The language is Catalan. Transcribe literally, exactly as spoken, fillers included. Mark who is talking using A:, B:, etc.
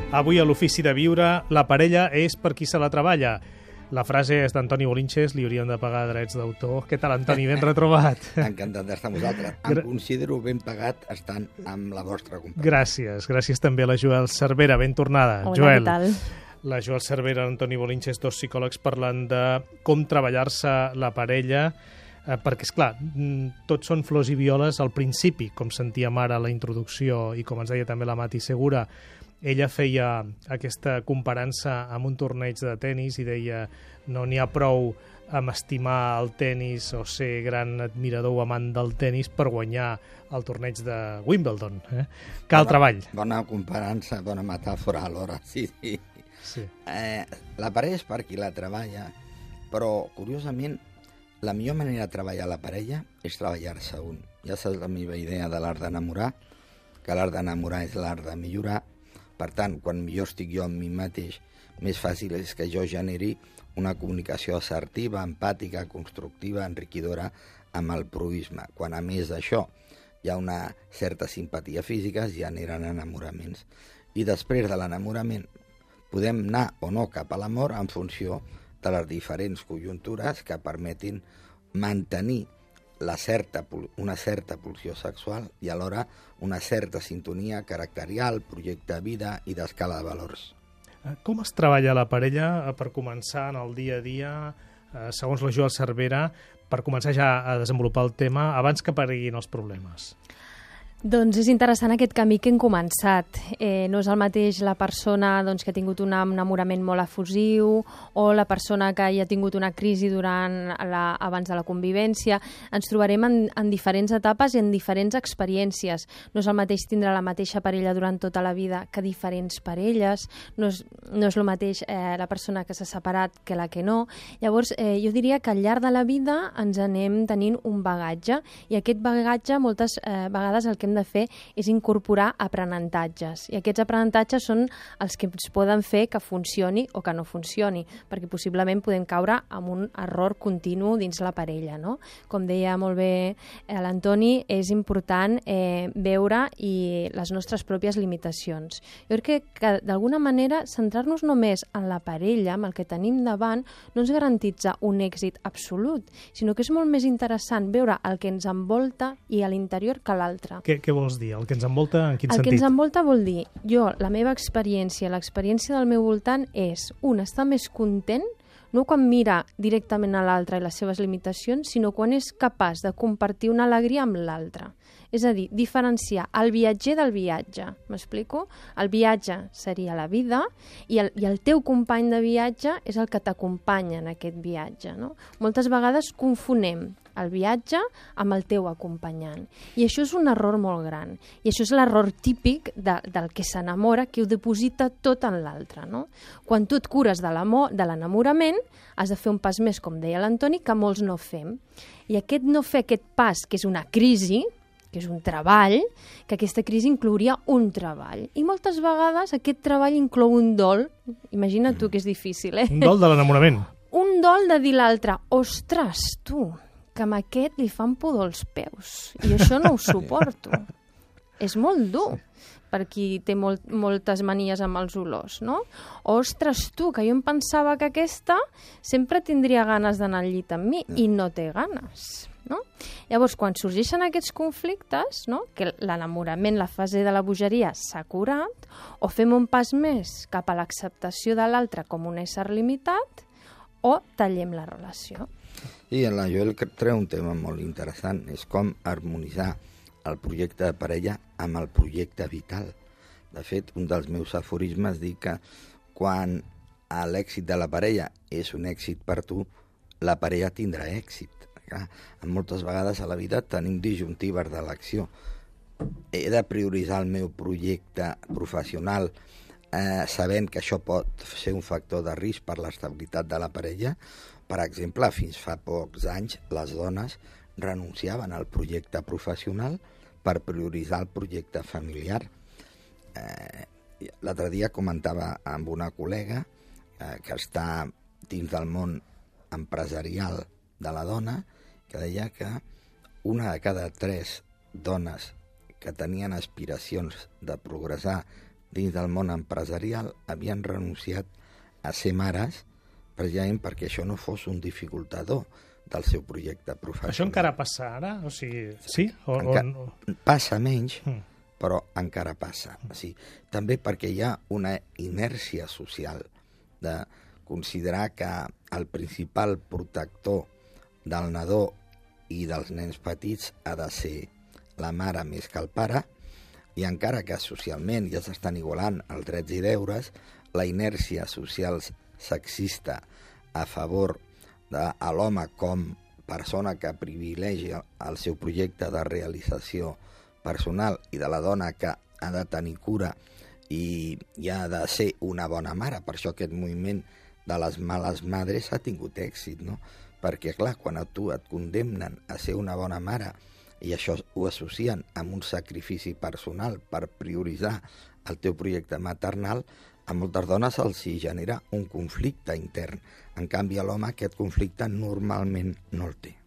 A: Avui a l'Ofici de Viure, la parella és per qui se la treballa. La frase és d'Antoni Bolinches, li haurien de pagar drets d'autor. Què tal, Antoni? Ben retrobat.
B: Encantat d'estar amb vosaltres. Em considero ben pagat estant amb la vostra companyia.
A: Gràcies. Gràcies també a la Joel Cervera. Ben tornada.
C: Hola,
A: Joel.
C: què tal?
A: La Joel Cervera i l'Antoni Bolinches, dos psicòlegs, parlant de com treballar-se la parella, eh, perquè, esclar, tots són flors i violes al principi, com sentíem ara a la introducció i com ens deia també la Mati Segura. Ella feia aquesta comparança amb un torneig de tennis i deia no n'hi ha prou amb estimar el tennis o ser gran admirador o amant del tennis per guanyar el torneig de Wimbledon. Eh? Cal
B: bona,
A: treball.
B: Bona comparança, bona metàfora alhora, sí, sí.
A: sí.
B: Eh, la parella és per qui la treballa, però, curiosament, la millor manera de treballar la parella és treballar-se un. Ja saps la meva idea de l'art d'enamorar, que l'art d'enamorar és l'art de millorar. Per tant, quan millor estic jo amb mi mateix, més fàcil és que jo generi una comunicació assertiva, empàtica, constructiva, enriquidora amb el proisme. Quan a més d'això hi ha una certa simpatia física, es generen enamoraments. I després de l'enamorament podem anar o no cap a l'amor en funció de les diferents conjuntures que permetin mantenir la certa, una certa pulsió sexual i alhora una certa sintonia caracterial, projecte de vida i d'escala de valors.
A: Com es treballa la parella per començar en el dia a dia, segons la Joel Cervera, per començar ja a desenvolupar el tema abans que apareguin els problemes?
C: Doncs és interessant aquest camí que hem començat. Eh, no és el mateix la persona doncs, que ha tingut un enamorament molt efusiu o la persona que hi ha tingut una crisi durant la, abans de la convivència. Ens trobarem en, en diferents etapes i en diferents experiències. No és el mateix tindre la mateixa parella durant tota la vida que diferents parelles. No és, no és el mateix eh, la persona que s'ha separat que la que no. Llavors, eh, jo diria que al llarg de la vida ens anem tenint un bagatge i aquest bagatge moltes eh, vegades el que hem de fer és incorporar aprenentatges. I aquests aprenentatges són els que ens poden fer que funcioni o que no funcioni, perquè possiblement podem caure en un error continu dins la parella, no? Com deia molt bé l'Antoni, és important eh, veure i les nostres pròpies limitacions. Jo crec que, que d'alguna manera centrar-nos només en la parella, amb el que tenim davant, no ens garantitza un èxit absolut, sinó que és molt més interessant veure el que ens envolta i a l'interior que l'altre.
A: Què, què vols dir? El que ens envolta, en quin
C: el
A: sentit?
C: El que ens envolta vol dir, jo, la meva experiència, l'experiència del meu voltant és, un, estar més content, no quan mira directament a l'altre i les seves limitacions, sinó quan és capaç de compartir una alegria amb l'altre. És a dir, diferenciar el viatger del viatge. M'explico? El viatge seria la vida i el, i el teu company de viatge és el que t'acompanya en aquest viatge. No? Moltes vegades confonem el viatge amb el teu acompanyant. I això és un error molt gran. I això és l'error típic de, del que s'enamora, que ho deposita tot en l'altre. No? Quan tu et cures de l'enamorament, has de fer un pas més, com deia l'Antoni, que molts no fem. I aquest no fer aquest pas, que és una crisi, que és un treball, que aquesta crisi inclouria un treball. I moltes vegades aquest treball inclou un dol. Imagina't tu que és difícil, eh?
A: Un dol de l'enamorament.
C: Un dol de dir l'altre, ostres, tu, que amb aquest li fan pudor els peus. I això no ho suporto. És molt dur per qui té molt, moltes manies amb els olors, no? Ostres, tu, que jo em pensava que aquesta sempre tindria ganes d'anar al llit amb mi i no té ganes. No? Llavors, quan sorgeixen aquests conflictes, no? Que l'enamorament, la fase de la bogeria s'ha curat, o fem un pas més cap a l'acceptació de l'altre com un ésser limitat, o tallem la relació.
B: I en la Joel treu un tema molt interessant, és com harmonitzar el projecte de parella amb el projecte vital. De fet, un dels meus aforismes diu que quan l'èxit de la parella és un èxit per tu, la parella tindrà èxit. Clar, moltes vegades a la vida tenim disjuntives de l'acció. He de prioritzar el meu projecte professional eh, sabent que això pot ser un factor de risc per l'estabilitat de la parella. Per exemple, fins fa pocs anys les dones renunciaven al projecte professional per prioritzar el projecte familiar. Eh, L'altre dia comentava amb una col·lega eh, que està dins del món empresarial de la dona, que deia que una de cada tres dones que tenien aspiracions de progressar dins del món empresarial havien renunciat a ser mares precisament perquè això no fos un dificultador del seu projecte professional.
A: Això encara passa ara? O sigui, sí? O,
B: Enca...
A: o...
B: Passa menys,
A: Mm.
B: però encara passa. O sigui, també perquè hi ha una inèrcia social de considerar que el principal protector del nadó i dels nens petits ha de ser la mare més que el pare, i encara que socialment ja s'estan igualant els drets i deures, la inèrcia social sexista a favor de l'home com persona que privilegia el seu projecte de realització personal i de la dona que ha de tenir cura i, i ha de ser una bona mare. Per això aquest moviment de les males madres ha tingut èxit, no? Perquè, clar, quan a tu et condemnen a ser una bona mare i això ho associen amb un sacrifici personal per prioritzar el teu projecte maternal, a moltes dones els hi genera un conflicte intern. En canvi, a l'home aquest conflicte normalment no el té.